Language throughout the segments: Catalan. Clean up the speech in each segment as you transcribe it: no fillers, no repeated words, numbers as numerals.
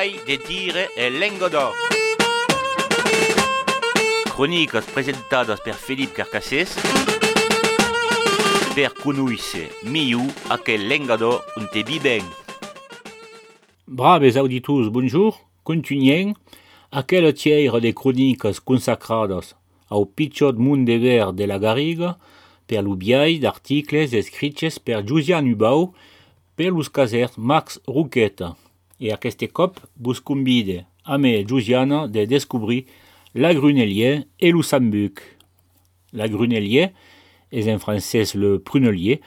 Biai de Tire e Lengodò. Cròniques presentades per Felip Carcassés per conoscere millor aquel Lengodò on te biben. Braves auditors, bonjour. Continuem aquella tiera de cròniques consacrades au pitjor món de ver de la Garriga per l'ubiai d'articles escrits per Josiane Hubau per los casers Max Roqueta. E aquest cop vos convide a me Josiana de descobrir la Grunelier et le Sambuc. La Grunelier és en francès le prunelier.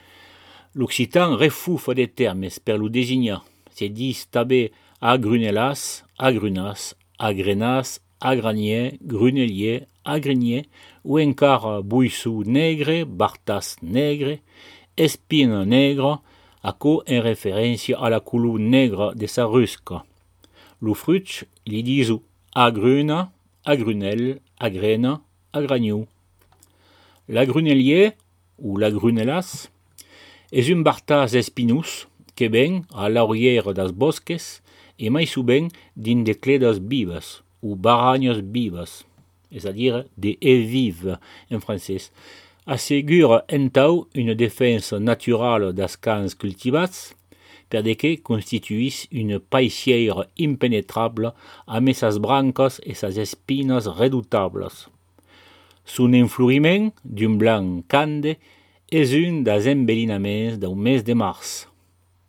L'occitan refufa de termes per lo designar. Se dis també agrunelas, agrunas, agrenas, agranier, grunelier, agrinier, ou encara buissou negre, bartas negre, espine negre, aco en referència a la color negra de sa rusca. Lo fruit li disu agruna, agrunel, agrena, agraniu. La grunelier, ou la grunelas, és un bartas espinós que ven a l'aurière das bosques e mai souvent din de cledes vives, ou baranyes vives, és a dire de vives en francès, assegura entau une defensa naturale das camps cultivats, per de que constituís une paissière impenetrable amb sas brancas e sas espines redoutables. Son enfloriment, d'un blanc cande, és un das embellinaments del mes de març.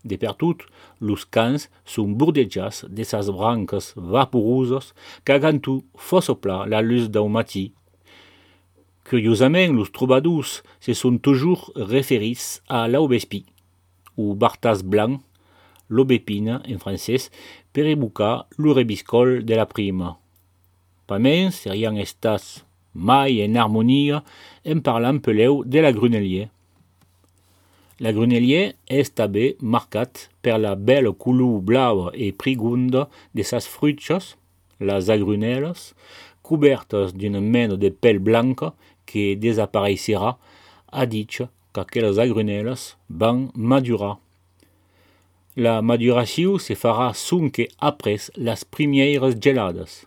De per tot, los camps son bordejats de sas branques vaporoses qu'agantu fossopla la luz del matí. Curiosament, los trobadors se són toujours referits a l'aubespí, ou bartas blanc, l'aubépine en francès, per evocar lo rebiscol de la prima. Pas mens serian estats mai en harmonia en parlant peleu de la grunelier. La grunelier és també marcat per la bella color blava e prigunda de sas fruchas, las agrunelas, cobertes d'una mena de pell blanca que desaparecerà a ditx qu'aquelas agrunelas van madurar. La maduració se farà sonque apres las primieres gelades.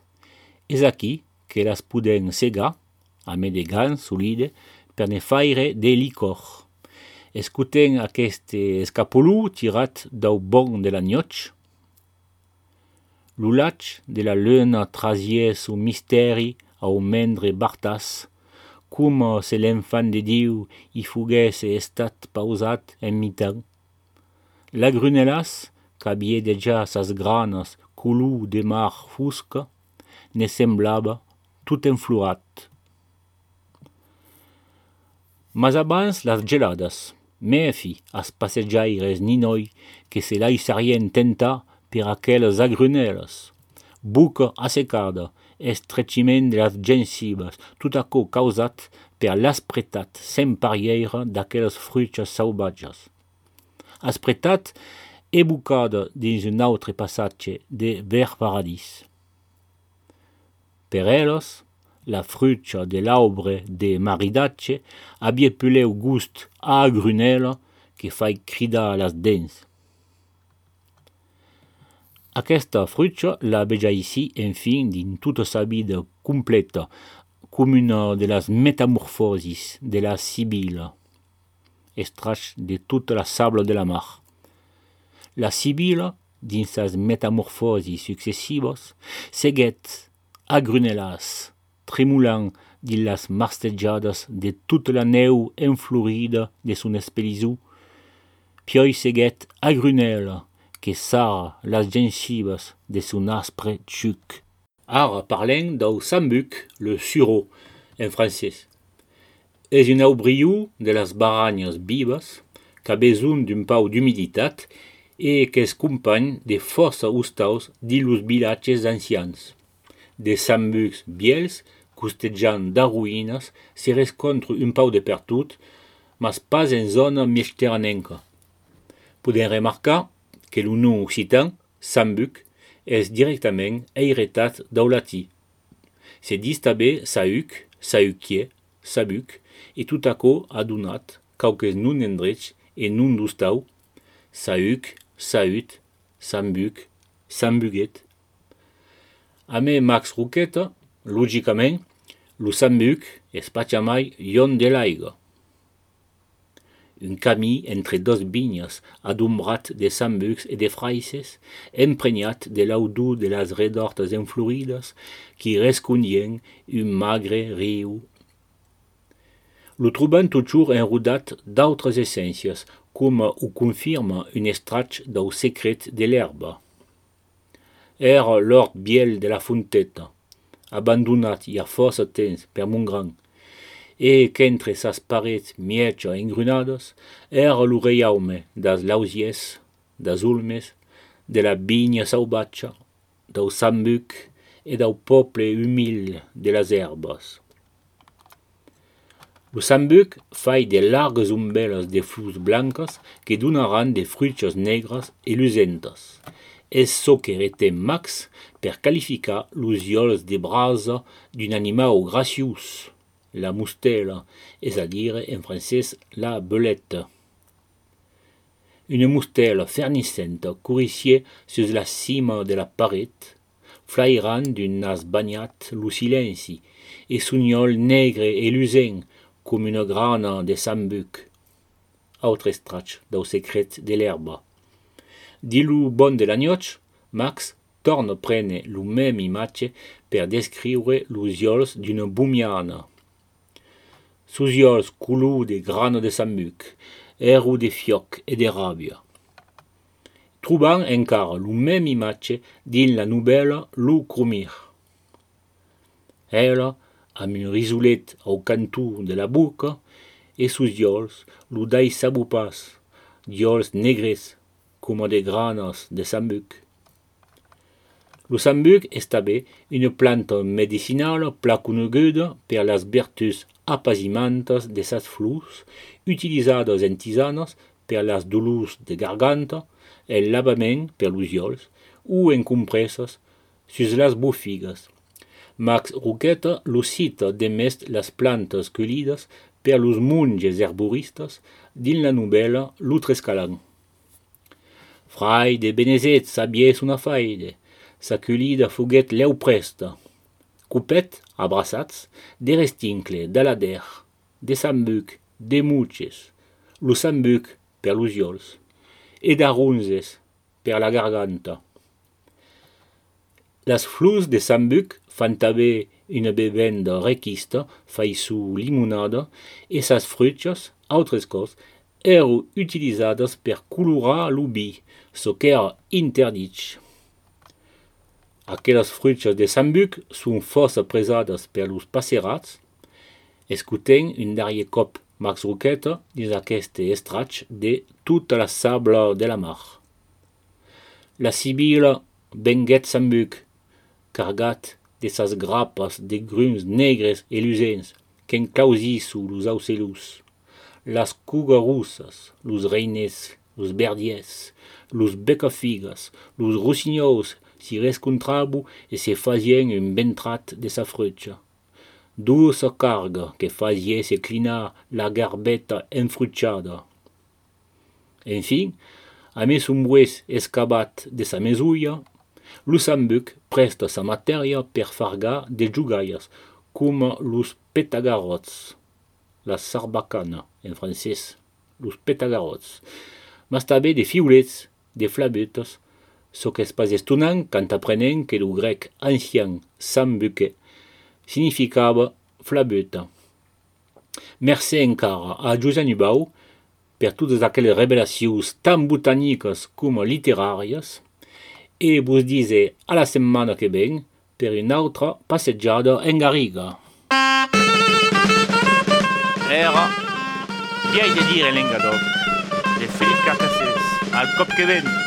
És aquí que las podem segar, a me de gans solide, per ne faire de licor. Escutem aquest escapolú tirat dau bon de la nioch. L'ulatge de la luna trasies o misteri au mendre bartas, com se l'enfant de Diu hi fogués estat pausat en mitan. La grunelas, qu'havia deja sas granes color de mar fusca, ne semblava tot enflorat. Mas abans las gelades, mefi as passejaires ninoi que se laissarien tentar per aqueles agrunelas. Buca assecada, estretximent de las gencives, tot aquò causat per l'aspretat sem parièra d'aqueles fruches sauvatges. Aspretat ebucada dins un autre passatge de Ver Paradis. Per eles, la frucha de l'aubre de maridatge havia peleu gust a agrunela que fai cridar las dents. Aquesta frucha la veja ici, enfin, din tota sa vida completa, com una de las metamorfosis de la Sibila, estrach de tota la sable de la mar. La Sibila, dins sas metamorfosis successivas, seguet agrunelas, tremulant dins las marstejadas de tota la neu enflorida de son espelizou, pioi seguet agrunela, que sara las gencives de son aspre txuc. Ara parlem dau sambuc, le sureau, en francès. És un aubriu de las baranyes vives, qu'a besoin d'un pau d'humiditat e qu'es company de força ustaus dins los vilatges ancians. De sambucs biels, costejant d'arruïnes, se rescontre un pau de pertot, mas pas en zona mediterranenca. Podem remarcar que lo nom occitan, sambuc, és directament heretat dau latí. Se dis també sauc, sauquier, sabuc, e tot aquò ha donat quauques non endrech e non d'ustau, sauc, saut, sambuc, sambuguet, A me Max Roqueta, logicament, lo sambuc es patjamai ion de l'aiga. Un camí entre dos vignes adumbrat de sambucs et de fraises, empregnat de l'audú de las redortes enflorides qui rescondien un magre riu. Lo trobam toujours enrodat d'autres essències, com ho confirma un estratx d'au secret de l'herba. Era l'hort biel de la fonteta, abandonat hi ha força temps per mon gran, e qu'entre sas parets miecha engrunades era lo reiaume das lausies, das ulmes, de la vigna sauvatja, d'au sambuc e d'au poble humil de las herbes. Lo sambuc fai de largues umbelles de flors blancas que donaran de fruches negras e lucentas. És çò que retem Max per qualificar los iols de brasa d'un animau graciós, la mustela, és a dire en francès la belette. Une mustela ferniscenta courissier sus la cima de la paret, flairant d'un nas bagnat lo silenci, e son iol negre e lucent com una grana de sambuc. Autre estratx d'au secret de l'herba. Di lo bon de la nioch, Max torna prene lo mem imatge per descriure los iols d'una bumiana. Sus iols color de grana de sambuc, ero de fioc e de ràbia. Trobam encara lo mem imatge din la novel·la Lo Cromir. Ela, amb un risolet au cantó de la boca, e sus iols lo dai sabupas, d'iols negres, com de granas de sambuc. Lo sambuc és també una planta medicinala pla coneguda per las vertus apazimantes de sas flors, utilizadas en tisanas per las dolors de garganta, el lavament per los iols, o en compresses sus las bofigas. Max Roqueta lo cita demest las plantes collides per los monges herboristes din la novel·la Lo Trescalan. Frai de Benezet sabies una faide, sa collida foguet leu presta. Copet, abraçats, de restincle, d'alader, de sambuc, de muches, lo sambuc per los iols, e d'aronzes per la garganta. Las flors de sambuc fan també una bevenda requista faisu limonada e sas fruchas, autres cos, ero utilizadas per colorar lo vi, so qu'era interdit. Aquelas fruchas de sambuc son força presadas per los passerats. Escutem un darrier cop Max Roqueta dins aquest estratx de Tota la sabla de la mar. La sibila venguet sambuc, cargat de sas grapas de gruns negres e lucents qu'enclausisu los aucelus. Las cugarussas, los reines, los verdiers, los becafigas, los rossinyous si rescontrabu e se fazien un ventrat de sa frucha. Douça carga que fazie se clinar la garbeta enfruchada. Enfin, a mes umbues escabat de sa mesulla, lo sambuc presta sa matèria per fargar de jugaias, com los petagarots, la sarbacana, en francès, los petagarots, mas també de fiulets, de flabetes, so qu'es pas estonant quand aprenent que lo grec ancien sambuque significava flabeta. Merci encara a Josep Nubau per totes aquelles revelacions tan botaniques com literàries e vos dize a la setmana que ven per una altra passejada en Garriga. Era Vieille de dire l'engador de Philippe Carcassès al cop que ven.